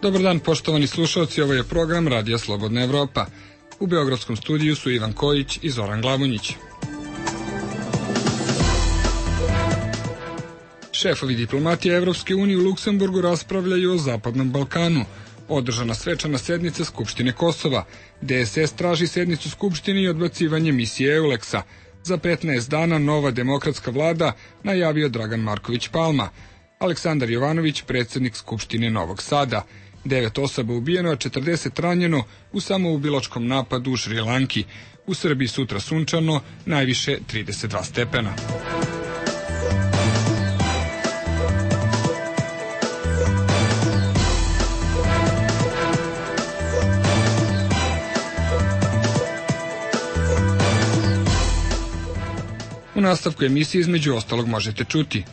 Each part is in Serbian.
Dobar dan, poštovani slušalci, ovo je program Radija Slobodna Evropa. U beogradskom studiju su Ivan Kojić i Zoran Glavonjić. Šefovi diplomatije Evropske unije u Luksemburgu raspravljaju o Zapadnom Balkanu. Održana svečana sednica Skupštine Kosova. DSS traži sednicu Skupštine i odbacivanje misije EULEX-a. Za 15 dana nova demokratska vlada, najavio Dragan Marković Palma. Aleksandar Jovanović, predsjednik Skupštine Novog Sada. 9 osoba ubijeno, a 40 ranjeno u samoubilačkom napadu u Šrilanki. U Srbiji sutra sunčano, najviše 32 stepena. U nastavku emisije između ostalog možete čuti: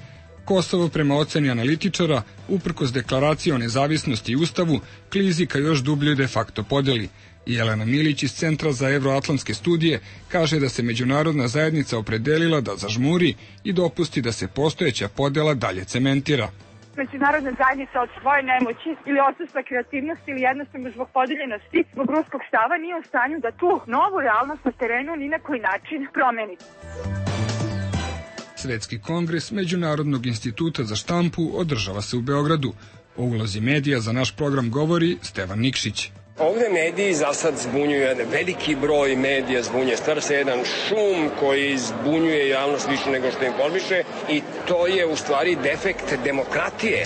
Kosovo prema oceni analitičara, uprkos deklaraciji o nezavisnosti i ustavu, klizi ka još dubljoj de facto podeli. I Jelena Milić iz Centra za evroatlantske studije kaže da se međunarodna zajednica opredelila da zažmuri i dopusti da se postojeća podela dalje cementira. Međunarodna zajednica od svoje nemoći ili odsustva kreativnosti ili jednostavno zbog podeljenosti, zbog ruskog stava nije u stanju da tu novu realnost na terenu ni na koji način promeni. Svetski kongres Međunarodnog instituta za štampu održava se u Beogradu. O ulozi medija za naš program govori Stevan Nikšić. Ovde mediji za sad zbunjuju jedan veliki broj medija, stvara se jedan šum koji zbunjuje javnost više nego što informiše i to je u stvari defekt demokratije.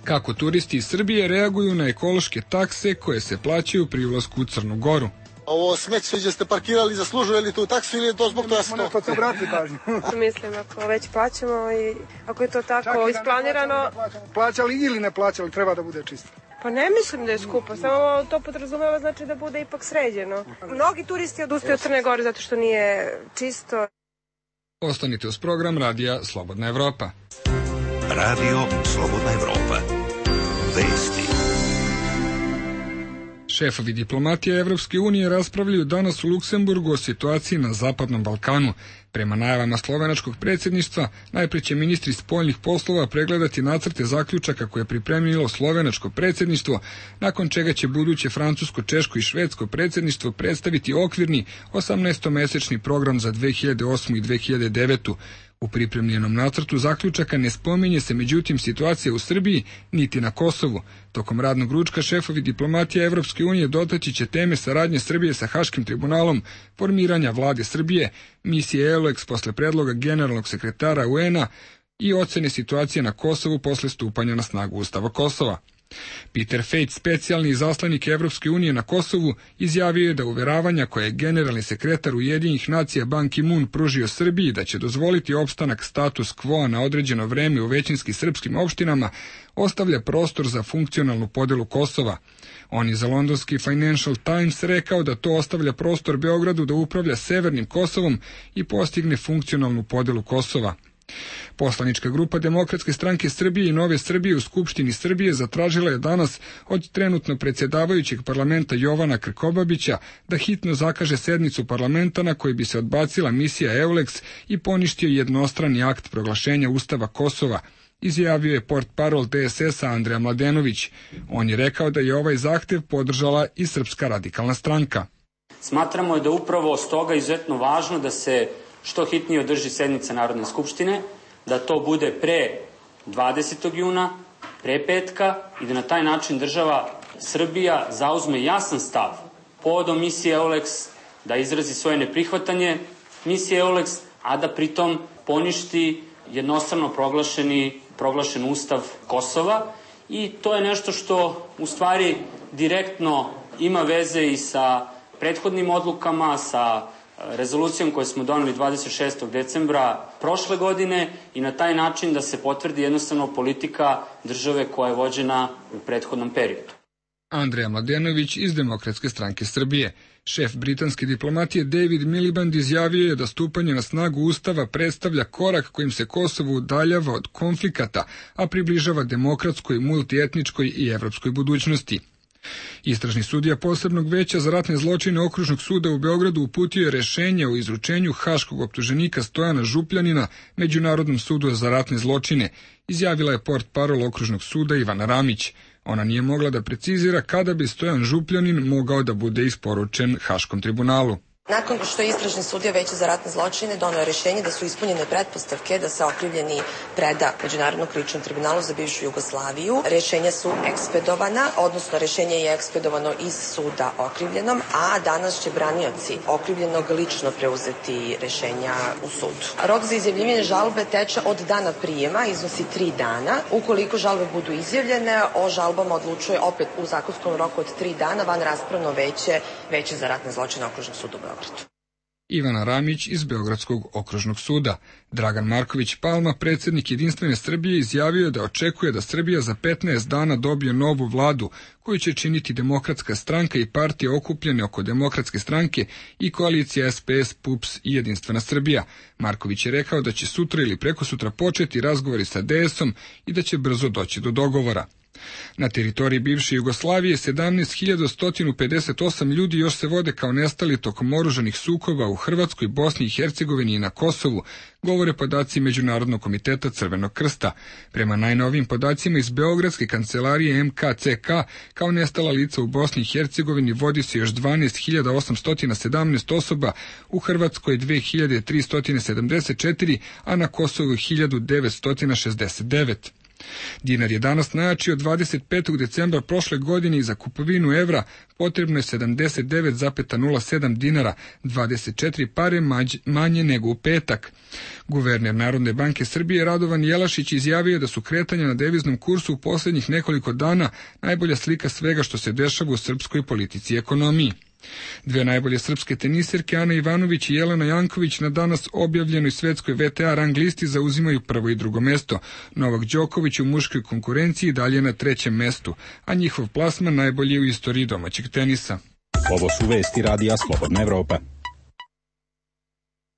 Kako turisti iz Srbije reaguju na ekološke takse koje se plaćaju pri ulasku u Crnu Goru? Ovo smeće gdje ste parkirali zaslužuje li tu taksu ili je to zbog toga što? To obrati pažnju. Mislim, ako već plaćamo i ako je to tako isplanirano... Plaćali ili ne plaćali, treba da bude čisto. Pa ne mislim da je skupo, samo to podrazumeva znači da bude ipak sređeno. Mnogi turisti odustaju od Crne Gore zato što nije čisto. Ostanite uz program Radija Slobodna Evropa. Radio Slobodna Evropa. Vesti. Šefovi diplomatije Evropske unije raspravljaju danas u Luksemburgu o situaciji na Zapadnom Balkanu. Prema najavama slovenačkog predsjedništva, najpre će ministri spoljnih poslova pregledati nacrte zaključaka koje je pripremilo slovenačko predsjedništvo, nakon čega će buduće francusko, češko i švedsko predsjedništvo predstaviti okvirni 18-mesečni program za 2008. i 2009. U pripremljenom nacrtu zaključaka ne spominje se međutim situacija u Srbiji niti na Kosovu. Tokom radnog ručka šefovi diplomatije Evropske unije dotaći će teme saradnje Srbije sa Haškim tribunalom, formiranja vlade Srbije, misije EULEX posle predloga generalnog sekretara UN-a i ocene situacije na Kosovu posle stupanja na snagu Ustava Kosova. Peter Fejt, specijalni izaslanik Evropske unije na Kosovu, izjavio je da uveravanja koje je generalni sekretar Ujedinjenih nacija Ban Ki-moon pružio Srbiji da će dozvoliti opstanak status quo na određeno vreme u većinski srpskim opštinama ostavlja prostor za funkcionalnu podelu Kosova. On je za londonski Financial Times rekao da to ostavlja prostor Beogradu da upravlja severnim Kosovom i postigne funkcionalnu podelu Kosova. Poslanička grupa Demokratske stranke Srbije i Nove Srbije u Skupštini Srbije zatražila je danas od trenutno predsjedavajućeg parlamenta Jovana Krkobabića da hitno zakaže sednicu parlamenta na kojoj bi se odbacila misija EULEX i poništio jednostrani akt proglašenja Ustava Kosova, izjavio je portparol DSS-a Andreja Mladenović. On je rekao da je ovaj zahtev podržala i Srpska radikalna stranka. Smatramo da upravo stoga izuzetno važno da se što hitnije održi sednica Narodne skupštine, da to bude pre 20. juna, pre petka i da na taj način država Srbija zauzme jasan stav povodom misije EULEX, da izrazi svoje neprihvatanje misije EULEX, a da pritom poništi jednostrano proglašen Ustav Kosova. I to je nešto što u stvari direktno ima veze i sa prethodnim odlukama, sa rezolucijom koju smo doneli 26. decembra prošle godine i na taj način da se potvrdi jednostavno politika države koja je vođena u prethodnom periodu. Andreja Mladenović iz Demokratske stranke Srbije. Šef britanske diplomatije David Miliband izjavio je da stupanje na snagu Ustava predstavlja korak kojim se Kosovo udaljava od konflikata, a približava demokratskoj, multietničkoj i evropskoj budućnosti. Istražni sudija posebnog veća za ratne zločine Okružnog suda u Beogradu uputio je rešenje o izručenju haškog optuženika Stojana Župljanina Međunarodnom sudu za ratne zločine, izjavila je portparol Okružnog suda Ivana Ramić. Ona nije mogla da precizira kada bi Stojan Župljanin mogao da bude isporučen Haškom tribunalu. Nakon što je istražni sudija Veća za ratne zločine doneo rješenje da su ispunjene pretpostavke da se okrivljeni preda Međunarodnom krivičnom tribunalu za bivšu Jugoslaviju, rješenja su ekspedovana, odnosno rješenje je ekspedovano iz suda okrivljenom, a danas će branioci okrivljenog lično preuzeti rješenja u sudu. Rok za izjavljivanje žalbe teče od dana prijema, iznosi 3 dana. Ukoliko žalbe budu izjavljene, o žalbama odlučuje opet u zakonskom roku od 3 dana van raspravno Veće za ratne zločine Okružnog suda u Beogradu. Ivana Ramić iz Beogradskog okružnog suda. Dragan Marković Palma, predsjednik Jedinstvene Srbije, izjavio da očekuje da Srbija za 15 dana dobije novu vladu, koju će činiti Demokratska stranka i partije okupljene oko Demokratske stranke i koalicija SPS, PUPS i Jedinstvena Srbija. Marković je rekao da će sutra ili prekosutra početi razgovori sa DS-om i da će brzo doći do dogovora. Na teritoriji bivše Jugoslavije 17.158 ljudi još se vode kao nestali tokom oružanih sukoba u Hrvatskoj, Bosni i Hercegovini i na Kosovu, govore podaci Međunarodnog komiteta Crvenog krsta. Prema najnovijim podacima iz Beogradske kancelarije MKCK, kao nestala lica u Bosni i Hercegovini vodi se još 12.817 osoba, u Hrvatskoj 2.374, a na Kosovu 1.969. Dinar je danas najjači od 25. decembra prošle godine i za kupovinu evra potrebno je 79,07 dinara, 24 pare manje nego u petak. Guverner Narodne banke Srbije Radovan Jelašić izjavio da su kretanja na deviznom kursu u posljednjih nekoliko dana najbolja slika svega što se dešava u srpskoj politici i ekonomiji. Dve najbolje srpske teniserke, Ana Ivanović i Jelena Janković, na danas objavljenoj svetskoj VTA rang listi zauzimaju prvo i drugo mesto. Novak Đoković u muškoj konkurenciji dalje na 3. mestu, a njihov plasman najbolji u istoriji domaćeg tenisa. Ovo su vesti Radija Slobodna Evropa.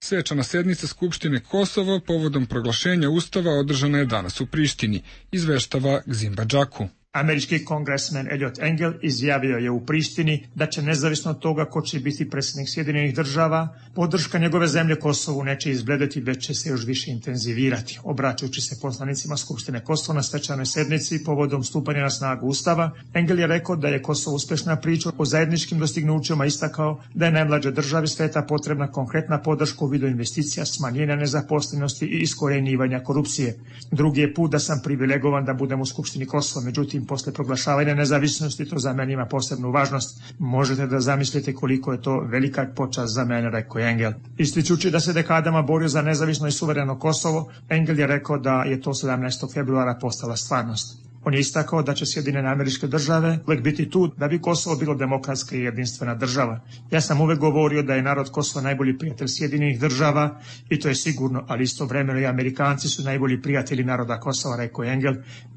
Svečana sednica Skupštine Kosova povodom proglašenja Ustava održana je danas u Prištini, izveštava Gzimba Džaku. Američki kongresmen Elliot Engel izjavio je u Prištini da će nezavisno od toga ko će biti predsjednik Sjedinjenih država, podrška njegove zemlje Kosovu neće izbledeti, već će se još više intenzivirati. Obraćajući se poslanicima Skupštine Kosova na svečanoj sednici povodom stupanja na snagu Ustava, Engel je rekao da je Kosovo uspešna priča o zajedničkim dostignućima, istakao da je najmlađoj državi sveta potrebna konkretna podrška u vidu investicija, smanjenja nezaposlenosti i iskorenjivanja korupcije. Drugi je put da sam privilegovan da budem u Skupštini Kosova, međutim posle proglašavanja nezavisnosti to za mene ima posebnu važnost. Možete da zamislite koliko je to velika počast za mene, rekao je Engel. Ističući da se dekadama borio za nezavisno i suvereno Kosovo, Engel je rekao da je to 17. februara postala stvarnost. On je istakao da će Sjedinjene Američke Države uvek biti tu da bi Kosovo bilo demokratska i jedinstvena država. Ja sam uvek govorio da je narod Kosova najbolji prijatelj Sjedinjenih Država i to je sigurno, ali istovremeno i Amerikanci su najbolji prijatelji naroda Kosova, rekao je Engel,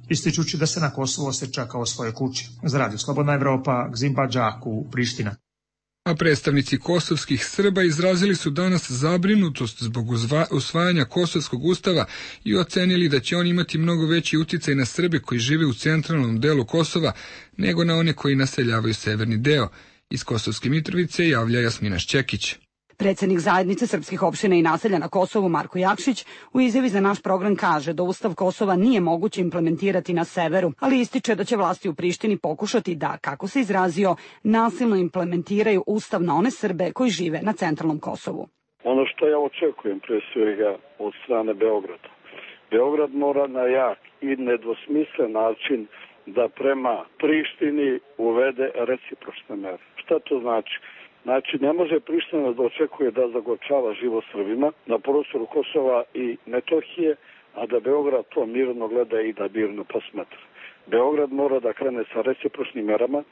ističući da se na Kosovo osjeća kao svoje kući. Za Radio Slobodna Evropa, Gzimba Džaku, Priština. A predstavnici kosovskih Srba izrazili su danas zabrinutost zbog usvajanja Kosovskog ustava i ocenili da će on imati mnogo veći uticaj na Srbe koji žive u centralnom delu Kosova nego na one koji naseljavaju severni deo. Iz Kosovske Mitrovice javlja Jasmina Šćekić. Predsjednik zajednice srpskih opština i naselja na Kosovu Marko Jakšić u izjavi za naš program kaže da Ustav Kosova nije moguće implementirati na severu, ali ističe da će vlasti u Prištini pokušati da, kako se izrazio, nasilno implementiraju Ustav na one Srbe koji žive na centralnom Kosovu. Ono što ja očekujem pre svega od strane Beograda. Beograd mora na jak i nedvosmislen način da prema Prištini uvede recipročne mere. Šta to znači? Znači, ne može Priština da očekuje da zagorčava život Srbima na prostoru Kosova i Metohije, a da Beograd to mirno gleda i da mirno posmatra. Beograd mora da krene sa recipročnim merama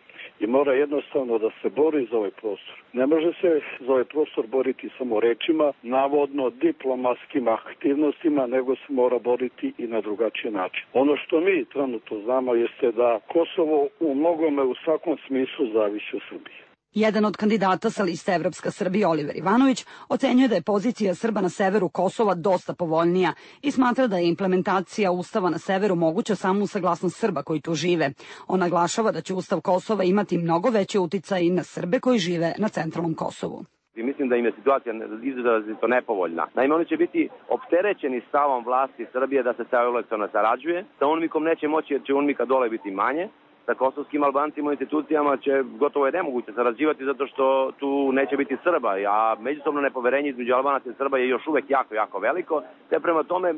i mora jednostavno da se bori za ovaj prostor. Ne može se za ovaj prostor boriti samo rečima, navodno diplomatskim aktivnostima, nego se mora boriti i na drugačiji način. Ono što mi trenutno znamo jeste da Kosovo u mnogome u svakom smislu zavisi od Srbije. Jedan od kandidata sa liste Evropska Srbija, Oliver Ivanović, ocenjuje da je pozicija Srba na severu Kosova dosta povoljnija i smatra da je implementacija Ustava na severu moguća samo uz saglasnost Srba koji tu žive. On naglašava da će Ustav Kosova imati mnogo veći uticaj na Srbe koji žive na centralnom Kosovu. I mislim da im je situacija izrazito nepovoljna. Naime, oni će biti opterećeni stavom vlasti Srbije da se sa Euroleksom ne sarađuje, sa UNMIK-om neće moći jer će UNMIK-a dole biti manje sa kosovskim Albancima u institucijama će gotovo je nemoguće sarađivati zato što tu neće biti Srba, a međusobno nepoverenje između Albanaca i Srba je još uvek jako, jako veliko, te prema tome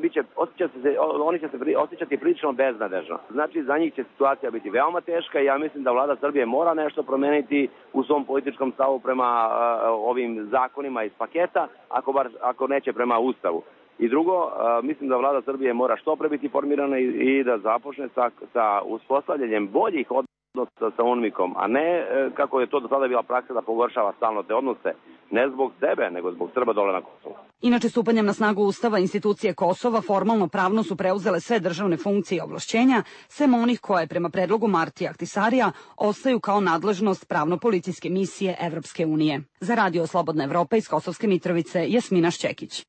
oni će se osjećati prilično beznadežno. Znači, za njih će situacija biti veoma teška i ja mislim da vlada Srbije mora nešto promeniti u svom političkom stavu prema ovim zakonima iz paketa, ako neće prema Ustavu. I drugo, mislim da vlada Srbije mora što pre biti formirana i da započne sa uspostavljanjem boljih odnosa sa UNMIK-om, a ne kako je to do sada bila praksa da pogoršava stalno te odnose, ne zbog sebe, nego zbog Srba dole na Kosovu. Inače, stupanjem na snagu Ustava institucije Kosova formalno pravno su preuzele sve državne funkcije i ovlašćenja, sem onih koje, prema predlogu Martija Ahtisarija, ostaju kao nadležnost pravno-policijske misije Evropske unije. Za Radio Slobodna Evropa iz Kosovske Mitrovice, Jasmina Šćekić.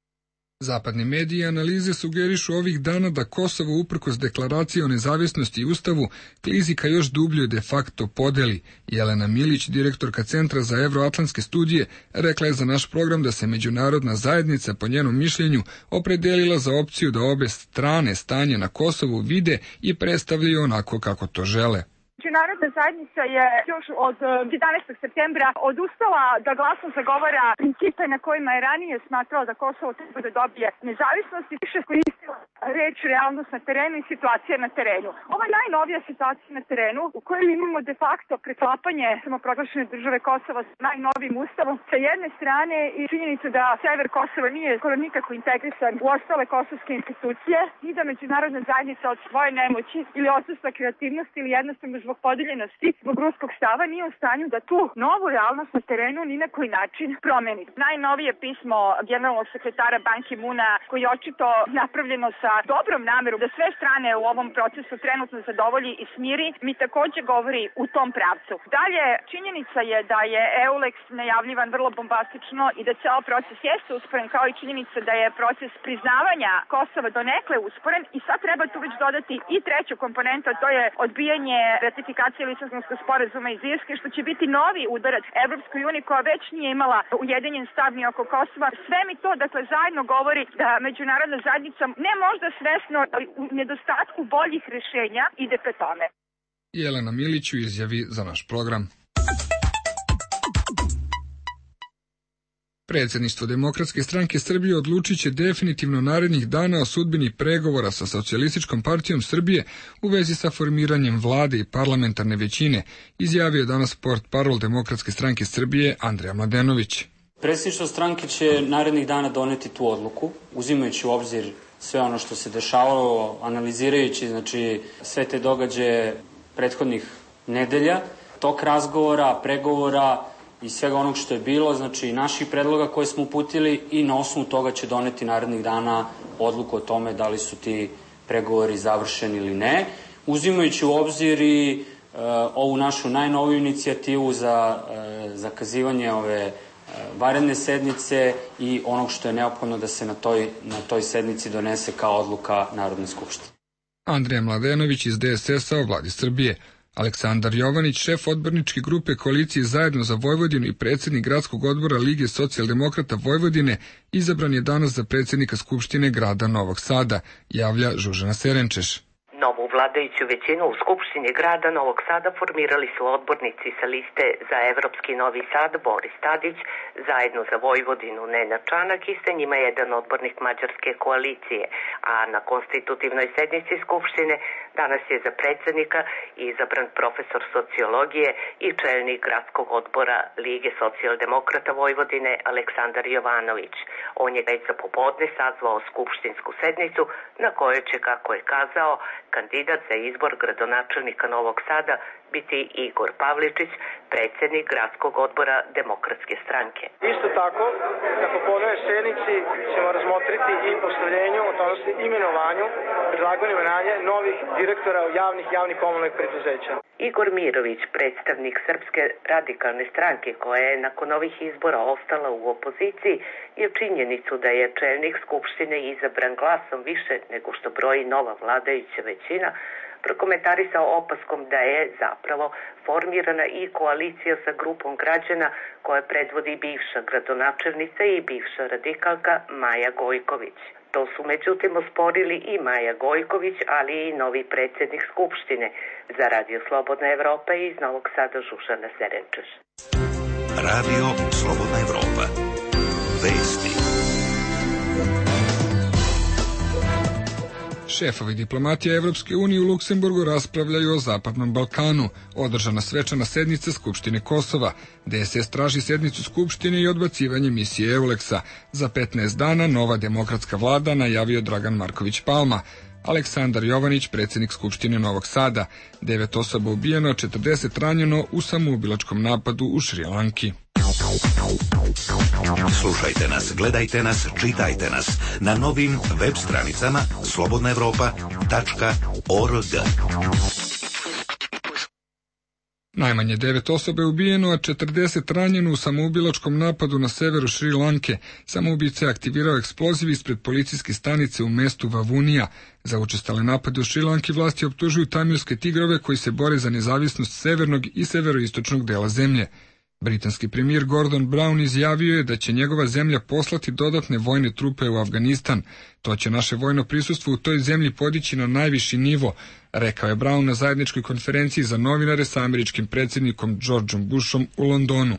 Zapadni mediji i analize sugerišu ovih dana da Kosovo uprkos deklaraciji o nezavisnosti i ustavu klizi ka još dubljoj de facto podeli. Jelena Milić, direktorka Centra za evroatlantske studije, rekla je za naš program da se međunarodna zajednica po njenom mišljenju opredelila za opciju da obe strane stanje na Kosovu vide i predstavljaju onako kako to žele. Međunarodna zajednica je još od 11. septembra odustala da glasno zagovara principe na kojima je ranije smatrala da Kosovo treba da dobije nezavisnost i više koristila reč realnost na terenu i situacija na terenu. Ova najnovija situacija na terenu u kojoj imamo de facto preklapanje samoproglašene države Kosova sa najnovijim ustavom sa jedne strane i činjenicu da sever Kosova nije skoro nikako integrisan u ostale kosovske institucije i da međunarodna zajednica od svoje nemoći ili odsustva kreativnosti ili jednostavno zbog podeljenosti, zbog ruskog stava nije u stanju da tu novu realnost na terenu ni na koji način promeni. Najnovije pismo generalnog sekretara Ban Ki-moona koji je očito napravljeno sa dobrom namerom da sve strane u ovom procesu trenutno zadovolji i smiri, mi takođe govori u tom pravcu. Dalje, činjenica je da je EULEX najavljivan vrlo bombastično i da ceo proces jeste usporen, kao i činjenica da je proces priznavanja Kosova donekle usporen i sad treba tu već dodati i treću komponentu, a to je odbijanje ratifikacije Lisabonskog sporazuma iz Irske, što će biti novi udarac Evropskoj uniji koja već nije imala ujedinjen stav ni oko Kosova. Sve mi to, dakle, zajedno govori da međunarodna zajednica ne možda svesno, ali u nedostatku boljih rešenja ide pre tome. Jelena Milić u izjavi za naš program. Predsjedništvo Demokratske stranke Srbije odlučit će definitivno narednih dana o sudbini pregovora sa Socijalističkom partijom Srbije u vezi sa formiranjem vlade i parlamentarne većine, izjavio je danas portparol Demokratske stranke Srbije Andrija Mladenović. Predsjedništvo stranke će narednih dana doneti tu odluku, uzimajući u obzir sve ono što se dešavalo, analizirajući sve te događaje prethodnih nedelja, tok razgovora, pregovora i svega onog što je bilo, znači naših predloga koje smo uputili i na osnovu toga će doneti narednih dana odluku o tome da li su ti pregovori završeni ili ne, uzimajući u obzir i ovu našu najnoviju inicijativu za zakazivanje ove vanredne sednice i onog što je neophodno da se na toj sednici donese kao odluka Narodne skupštine. Andrija Mladenović iz DSS-a o vladi Srbije. Aleksandar Jovanić, šef odborničke grupe koalicije Zajedno za Vojvodinu i predsjednik gradskog odbora Lige socijaldemokrata Vojvodine, izabran je danas za predsjednika Skupštine grada Novog Sada, javlja Žužana Serenčeš. Novu vladajuću većinu u Skupštini grada Novog Sada formirali su odbornici sa liste za Evropski Novi Sad Boris Tadić, Zajedno za Vojvodinu Nenad Čanak i sa njima jedan odbornik Mađarske koalicije, a na konstitutivnoj sednici Skupštine danas je za predsjednika izabran profesor sociologije i čelnik gradskog odbora Lige socijaldemokrata Vojvodine Aleksandar Jovanović. On je već za popodne sazvao skupštinsku sednicu na kojoj će, kako je kazao, kandidat za izbor gradonačelnika Novog Sada biti Igor Pavličić, predsjednik gradskog odbora Demokratske stranke. Isto tako, na popodnevnoj sednici ćemo razmotriti i postavljenju, odnosno imenovanju, predlaganju imenovanja novih direktora javnih komunalnih preduzeća. Igor Mirović, predstavnik Srpske radikalne stranke koja je nakon ovih izbora ostala u opoziciji, je činjenicu da je čelnik Skupštine izabran glasom više nego što broji nova vladajuća većina, prokomentarisao opaskom da je zapravo formirana i koalicija sa grupom građana koje predvodi bivša gradonačelnica i bivša radikalka Maja Gojković. To su međutim osporili i Maja Gojković, ali i novi predsjednik Skupštine. Za Radio Slobodna Evropa iz Novog Sada Žužana Serenčeš. Radio Slobodna Evropa. Vesti. Šefovi diplomatije Evropske unije u Luksemburgu raspravljaju o Zapadnom Balkanu. Održana svečana sednica Skupštine Kosova. DSS traži sednicu Skupštine i odbacivanje misije EULEX-a. Za 15 dana nova demokratska vlada, najavio Dragan Marković Palma. Aleksandar Jovanić, predsjednik Skupštine Novog Sada. 9 osoba ubijeno, 40 ranjeno u samoubilačkom napadu u Šrilanki. Slušajte nas, gledajte nas, čitajte nas na novim web stranicama slobodnaevropa.org. Najmanje 9 osoba je ubijeno, a 40 ranjeno u samoubilačkom napadu na severu Šri Lanke. Samoubica je aktivirao eksploziv ispred policijske stanice u mestu Vavunija. Za učestale napade u Šri Lanki vlasti optužuju tamilske tigrove koji se bore za nezavisnost severnog i severoistočnog dela zemlje. Britanski premijer Gordon Brown izjavio je da će njegova zemlja poslati dodatne vojne trupe u Afganistan. To će naše vojno prisustvo u toj zemlji podići na najviši nivo, rekao je Brown na zajedničkoj konferenciji za novinare sa američkim predsjednikom Georgeom Bushom u Londonu.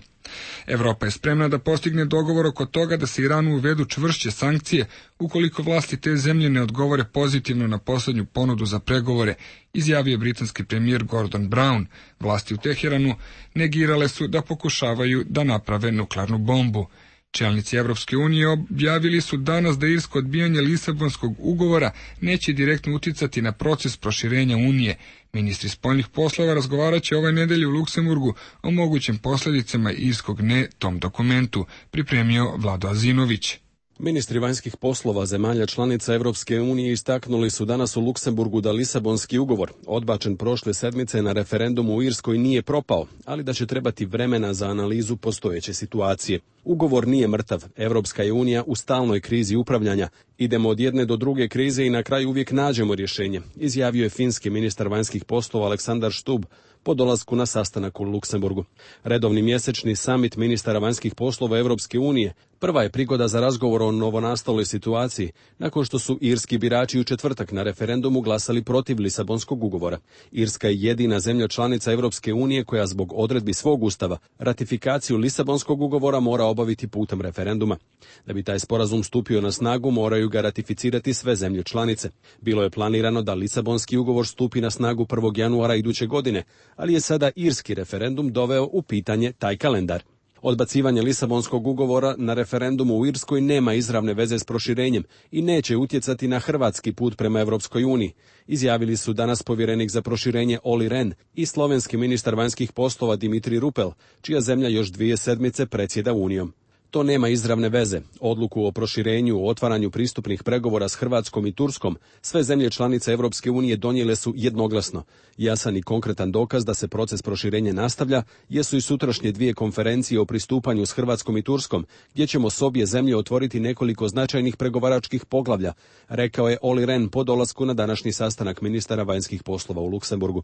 Evropa je spremna da postigne dogovor oko toga da se Iranu uvedu čvršće sankcije ukoliko vlasti te zemlje ne odgovore pozitivno na poslednju ponudu za pregovore, izjavio britanski premijer Gordon Brown. Vlasti u Teheranu negirale su da pokušavaju da naprave nuklearnu bombu. Čelnici Evropske unije objavili su danas da irsko odbijanje Lisabonskog ugovora neće direktno uticati na proces proširenja Unije. Ministri spoljnih poslova razgovarat će ove nedelje u Luksemburgu o mogućim posljedicama irskog ne tom dokumentu, pripremio Vlado Azinović. Ministri vanjskih poslova zemalja članica Evropske unije istaknuli su danas u Luksemburgu da Lisabonski ugovor, odbačen prošle sedmice na referendumu u Irskoj, nije propao, ali da će trebati vremena za analizu postojeće situacije. Ugovor nije mrtav, Evropska je unija u stalnoj krizi upravljanja. Idemo od jedne do druge krize i na kraju uvijek nađemo rješenje, izjavio je finski ministar vanjskih poslova Aleksandar Stubb po dolasku na sastanak u Luksemburgu. Redovni mjesečni samit ministara vanjskih poslova Evropske unije prva je prigoda za razgovor o novonastaloj situaciji, nakon što su irski birači u četvrtak na referendumu glasali protiv Lisabonskog ugovora. Irska je jedina zemlja članica Evropske unije koja zbog odredbi svog ustava ratifikaciju Lisabonskog ugovora mora obaviti putem referenduma. Da bi taj sporazum stupio na snagu, moraju ga ratificirati sve zemlje članice. Bilo je planirano da Lisabonski ugovor stupi na snagu 1. januara iduće godine, ali je sada irski referendum doveo u pitanje taj kalendar. Odbacivanje Lisabonskog ugovora na referendumu u Irskoj nema izravne veze s proširenjem i neće utjecati na hrvatski put prema Evropskoj uniji, izjavili su danas povjerenik za proširenje Olli Rehn i slovenski ministar vanjskih poslova Dimitri Rupel, čija zemlja još 2 sedmice predsjeda Unijom. To nema izravne veze. Odluku o proširenju, o otvaranju pristupnih pregovora s Hrvatskom i Turskom sve zemlje članice Evropske unije donijele su jednoglasno. Jasan i konkretan dokaz da se proces proširenja nastavlja jesu i sutrašnje 2 konferencije o pristupanju s Hrvatskom i Turskom, gdje ćemo s obje zemlje otvoriti nekoliko značajnih pregovaračkih poglavlja, rekao je Olli Rehn po dolasku na današnji sastanak ministara vanjskih poslova u Luksemburgu.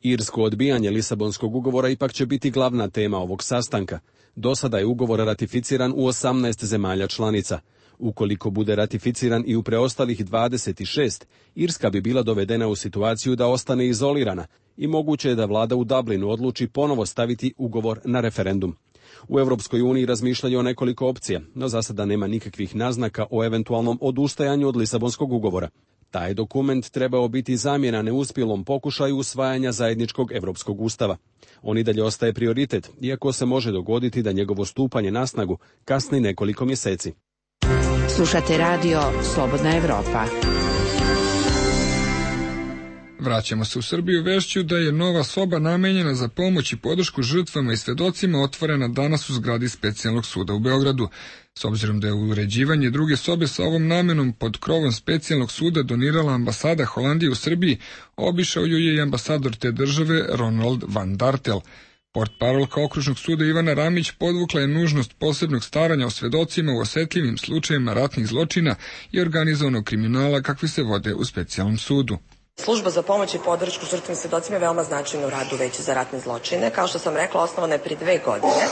Irsko odbijanje Lisabonskog ugovora ipak će biti glavna tema ovog sastanka. Do sada je ugovor ratificiran u 18 zemalja članica. Ukoliko bude ratificiran i u preostalih 26, Irska bi bila dovedena u situaciju da ostane izolirana i moguće je da vlada u Dublinu odluči ponovo staviti ugovor na referendum. U Evropskoj uniji razmišljaju o nekoliko opcija, no za sada nema nikakvih naznaka o eventualnom odustajanju od Lisabonskog ugovora. Taj dokument trebao biti zamjena neuspjelom pokušaju usvajanja zajedničkog evropskog ustava. On i dalje ostaje prioritet, iako se može dogoditi da njegovo stupanje na snagu kasni nekoliko mjeseci. Slušate radio Slobodna Evropa. Vraćamo se u Srbiju vešću da je nova soba namenjena za pomoć i podršku žrtvama i svedocima otvorena danas u zgradi Specijalnog suda u Beogradu. S obzirom da je uređivanje druge sobe sa ovom namenom pod krovom Specijalnog suda donirala ambasada Holandije u Srbiji, obišao ju je i ambasador te države Ronald van Dartel. Portparolka okružnog suda Ivana Ramić podvukla je nužnost posebnog staranja o svedocima u osjetljivim slučajevima ratnih zločina i organizovanog kriminala kakvi se vode u Specijalnom sudu. Služba za pomoć i podršku žrtvama i svedocima je veoma značajna u radu Veća za ratne zločine. Kao što sam rekla, osnovana je prije 2 godine.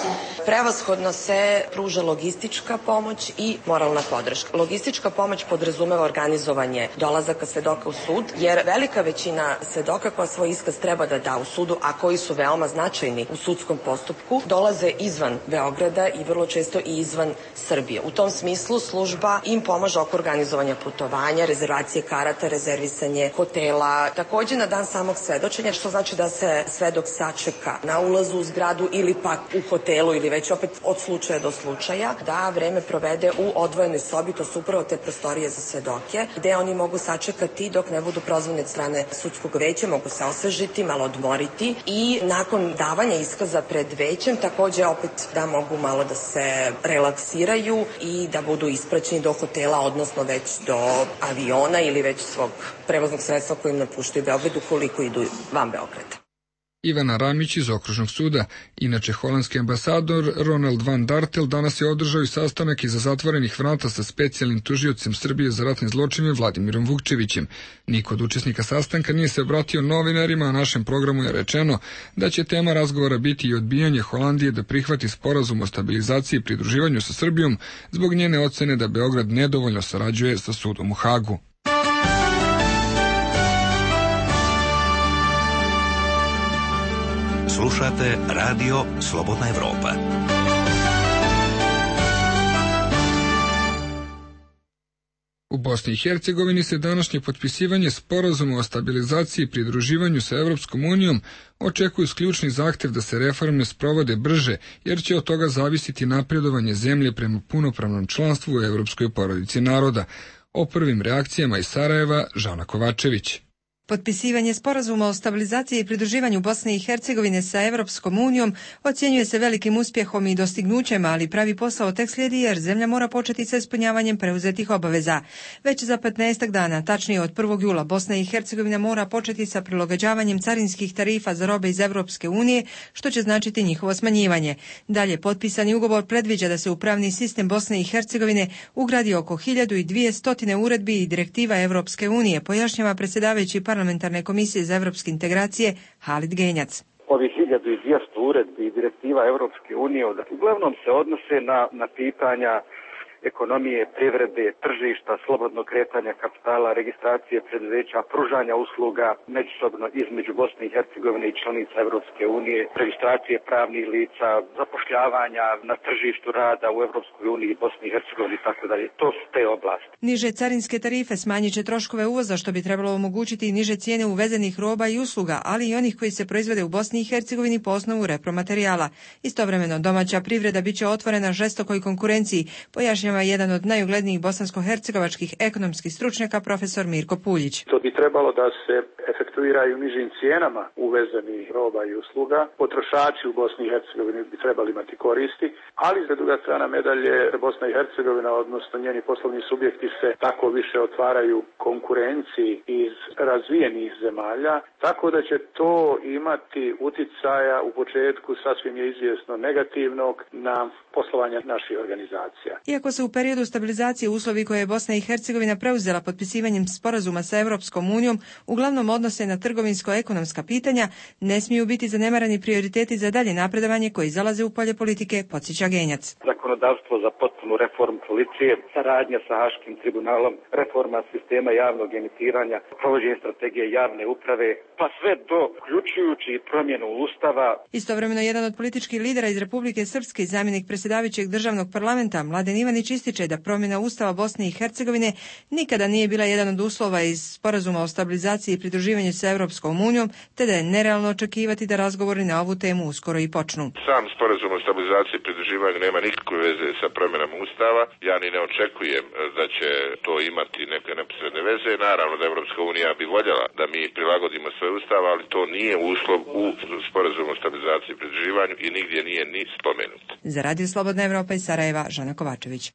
Prevashodno se pruža logistička pomoć i moralna podrška. Logistička pomoć podrazumeva organizovanje dolazaka svedoka u sud, jer velika većina svedoka koja svoj iskaz treba da da u sudu, a koji su veoma značajni u sudskom postupku, dolaze izvan Beograda i vrlo često i izvan Srbije. U tom smislu služba im pomaže oko organizovanja putovanja, rezervacije karata, rezervisanje hotela, takođe na dan samog svedočenja, što znači da se svedok sačeka na ulazu u zgradu ili pak u hotelu ili već opet od slučaja do slučaja, da vreme provede u odvojenoj sobi, to su upravo te prostorije za svedoke, gde oni mogu sačekati dok ne budu prozvani od strane sudskog veća, mogu se osvežiti, malo odmoriti i nakon davanja iskaza pred većem takođe opet da mogu malo da se relaksiraju i da budu ispraćeni do hotela, odnosno već do aviona ili već svog prevoznog sredstva kojim napuštaju Beograd ukoliko idu van Beograda. Ivana Ramić iz Okružnog suda. Inače, holandski ambasador Ronald van Dartel danas je održao i sastanak iza zatvorenih vrata sa specijalnim tužiocem Srbije za ratne zločine Vladimirom Vukčevićem. Niko od učesnika sastanka nije se obratio novinarima, a našem programu je rečeno da će tema razgovora biti i odbijanje Holandije da prihvati sporazum o stabilizaciji i pridruživanju sa Srbijom zbog njene ocene da Beograd nedovoljno sarađuje sa sudom u Hagu. Slušate Radio Slobodna Evropa. U Bosni i Hercegovini se današnje potpisivanje sporazuma o stabilizaciji i pridruživanju sa Evropskom unijom očekuju ključni zahtev da se reforme sprovode brže, jer će od toga zavisiti napredovanje zemlje prema punopravnom članstvu u Evropskoj porodici naroda. O prvim reakcijama iz Sarajeva, Žana Kovačević. Potpisivanje sporazuma o stabilizaciji i pridruživanju Bosne i Hercegovine sa Evropskom unijom ocjenjuje se velikim uspjehom i dostignućem, ali pravi posao tek slijedi jer zemlja mora početi sa ispunjavanjem preuzetih obaveza. Već za 15 dana, tačnije od 1. jula, Bosna i Hercegovina mora početi sa prilagođavanjem carinskih tarifa za robe iz Evropske unije, što će značiti njihovo smanjivanje. Dalje, potpisani ugovor predviđa da se u pravni sistem Bosne i Hercegovine ugradi oko 1200 uredbi i direktiva Evropske unije, pojašnjava predsjedavajući Parlamentarne komisije za evropske integracije Halid Genjac. Ovih 1200 uredbi i direktiva Evropske unije uglavnom se odnose na pitanja ekonomije, privrede, tržišta, slobodnog kretanja kapitala, registracije preduzeća, pružanja usluga međusobno između Bosne i Hercegovine i članica Evropske unije, registracije pravnih lica, zapošljavanja na tržištu rada u Evropskoj uniji, Bosni i Hercegovini i tako dalje. To su te oblasti. Niže carinske tarife smanjit će troškove uvoza, što bi trebalo omogućiti i niže cijene uvezenih roba i usluga, ali i onih koji se proizvode u Bosni i Hercegovini po osnovu repromaterijala. Istovremeno, domaća privreda biće otvorena žestokoj konkurenciji, pojašnjava jedan od najuglednijih bosansko-hercegovačkih ekonomskih stručnjaka, profesor Mirko Puljić. To bi trebalo da se efektuiraju nižim cijenama uvezenih roba i usluga. Potrošači u Bosni i Hercegovini bi trebali imati koristi, ali za druga strana medalje Bosna i Hercegovina, odnosno njeni poslovni subjekti se tako više otvaraju konkurenciji iz razvijenih zemalja, tako da će to imati uticaja u početku, sasvim je izvjesno, negativnog na poslovanje naših organizacija. Iako se u periodu stabilizacije uslovi koje je Bosna i Hercegovina preuzela potpisivanjem sporazuma sa Evropskom unijom uglavnom odnose na trgovinsko-ekonomska pitanja, ne smiju biti zanemarani prioriteti za dalje napredovanje koji zalaze u polje politike, podsjeća Genjac. Zakonodavstvo za potpunu reformu policije, saradnja sa Haškim tribunalom, reforma sistema javnog emitiranja, provođenje strategije javne uprave, pa sve do uključujući promjenu ustava. Istovremeno, jedan od političkih lidera iz Republike Srpske i zamjenik predsjedavajućeg državnog parlamenta, Mladen Ivanić, ističe da promjena ustava Bosne i Hercegovine nikada nije bila jedan od uslova iz sporazuma o stabilizaciji i pridruživanju sa Evropskom unijom, te da je nerealno očekivati da razgovori na ovu temu uskoro i počnu. Sam sporazum o stabilizaciji i pridruživanju nema nikakve veze sa promjenom ustava. Ja ni ne očekujem da će to imati neke neposredne veze. Naravno da Evropska unija bi voljela da mi prilagodimo svoj ustav, ali to nije uslov u sporazumu o stabilizaciji i pridruživanju i nigdje nije ni spomenut. Za Radio Slobodna Evropa iz Sarajeva, Žana Kovačević.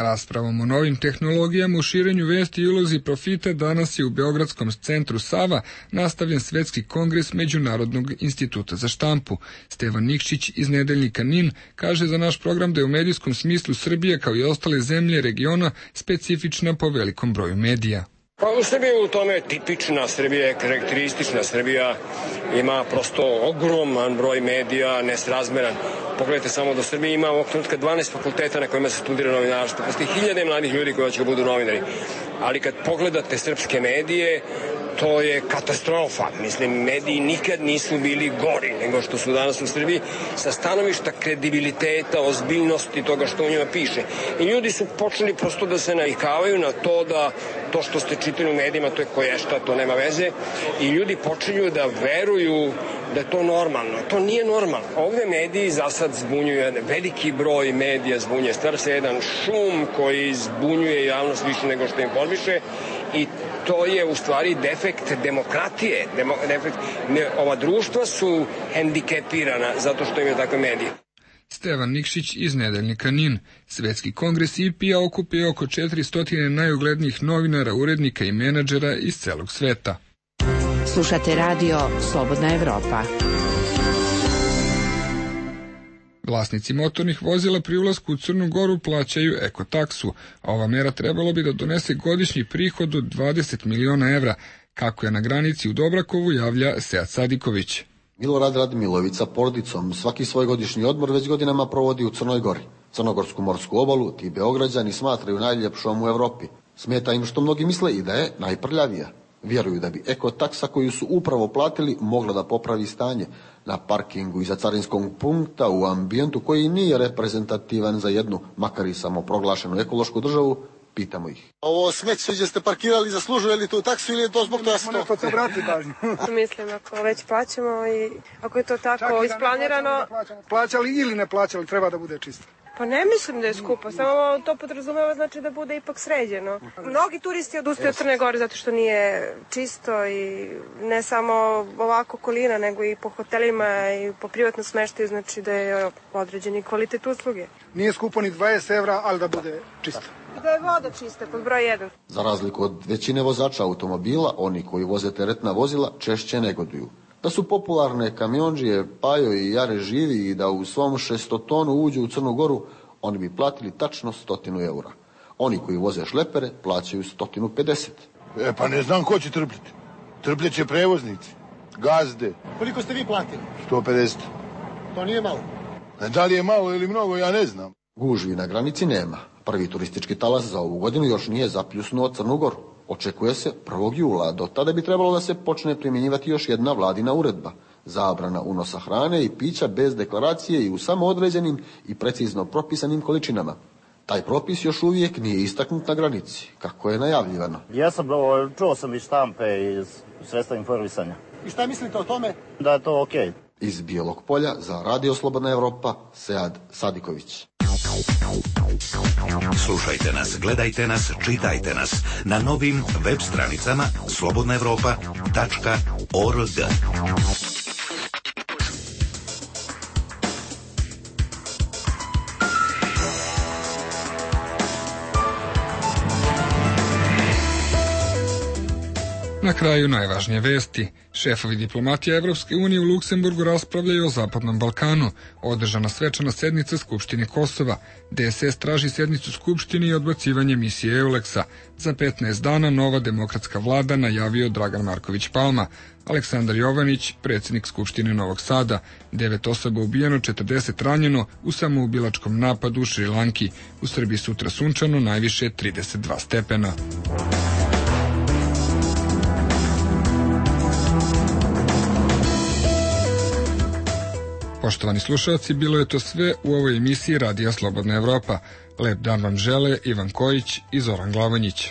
Raspravom o novim tehnologijama u širenju vesti i ulozi profita danas je u Beogradskom centru Sava nastavljen Svetski kongres Međunarodnog instituta za štampu. Stevan Nikšić iz nedeljnika NIN kaže za naš program da je u medijskom smislu Srbija kao i ostale zemlje regiona specifična po velikom broju medija. Pa u Srbiji u tome tipična Srbija je karakteristična. Srbija ima prosto ogroman broj medija, nesrazmeran. Pogledajte samo da Srbija ima ovog trenutka 12 fakulteta na kojima se studira novinarstvo. Postoji hiljade mladih ljudi koji će budu novinari. Ali kad pogledate srpske medije, to je katastrofa. Mislim, mediji nikad nisu bili gori nego što su danas u Srbiji sa stanovišta kredibiliteta, ozbiljnosti toga što u njima piše. I ljudi su počeli prosto da se navikavaju na to da to što ste čitali u medijima, to je koješta, to nema veze. I ljudi počinju da veruju da je to normalno. To nije normalno. Ovde mediji za sad zbunjuju, veliki broj medija zbunjuje. Stvara se jedan šum koji zbunjuje javnost više nego što informiše i to je u stvari defekt demokratije. Ova društva su hendikepirana zato što imaju takve medije. Stevan Nikšić iz nedeljnika NIN. Svetski kongres IPA okupio oko 400 najuglednijih novinara, urednika i menadžera iz celog sveta. Slušate radio Slobodna Evropa. Vlasnici motornih vozila pri ulasku u Crnu Goru plaćaju ekotaksu, a ova mera trebalo bi da donese godišnji prihod od 20 miliona evra, kako je na granici u Dobrakovu javlja Sead Sadiković. Milorad Radmilović sa porodicom svaki svoj godišnji odmor već godinama provodi u Crnoj Gori. Crnogorsku morsku obalu ti Beograđani smatraju najljepšom u Evropi. Smeta im što mnogi misle i da je najprljavija. Vjeruju da bi ekotaksa koju su upravo platili mogla da popravi stanje na parkingu iza carinskog punkta u ambijentu koji nije reprezentativan za jednu, makar i samoproglašenu ekološku državu. Pitamo ih. Ovo smeće gdje ste parkirali zaslužuje li tu taksu ili je to zbog toga što? Neko se vrati pažnju. Mislim, ako već plaćamo i ako je to tako isplanirano... Plaćali ili ne plaćali, treba da bude čisto. Pa ne mislim da je skupo, samo to podrazumeva znači da bude ipak sređeno. Mnogi turisti odustaju od Crne Gore zato što nije čisto i ne samo ovako okolina, nego i po hotelima i po privatnom smeštaju, znači da je određeni kvalitet usluge. Nije skupo ni 20 evra, ali da bude čisto. Da je voda čista, pod broj 1. Za razliku od većine vozača automobila, oni koji voze teretna vozila češće negoduju. Da su popularne kamionđije Pajo i Jare živi i da u svom 600 tonu uđu u Crnu Goru, oni bi platili tačno 100 eura. Oni koji voze šlepere plaćaju 150. Pa ne znam ko će trpljeti. Trpljeće prevoznici, gazde. Koliko ste vi platili? 150. To nije malo. Da li je malo ili mnogo, ja ne znam. Gužvi na granici nema. Prvi turistički talas za ovu godinu još nije zapljusnuo Crnu Goru. Očekuje se 1. jula, do tada bi trebalo da se počne primjenjivati još jedna vladina uredba. Zabrana unosa hrane i pića bez deklaracije i u samo određenim i precizno propisanim količinama. Taj propis još uvijek nije istaknut na granici, kako je najavljivano. Čuo sam iz štampe i iz sredstva informisanja. I šta mislite o tome? Da je to okej. Iz Bijelog Polja za Radio Slobodna Evropa, Sead Sadiković. Slušajte nas, gledajte nas, čitajte nas na novim web stranicama slobodnaevropa.org. Na kraju najvažnije vesti. Šefovi diplomatije Evropske unije u Luksemburgu raspravljaju o Zapadnom Balkanu. Održana svečana sednica Skupštine Kosova. DSS traži sednicu Skupštine i odbacivanje misije EULEX-a. Za 15 dana nova demokratska vlada, najavio Dragan Marković Palma. Aleksandar Jovanić, predsjednik Skupštine Novog Sada. 9 osoba ubijeno, 40 ranjeno u samoubilačkom napadu u Šrilanki. U Srbiji sutra sunčano, najviše 32 stepena. Poštovani slušalci, bilo je to sve u ovoj emisiji Radija Slobodna Evropa. Lep dan vam žele Ivan Kojić i Zoran Glavonjić.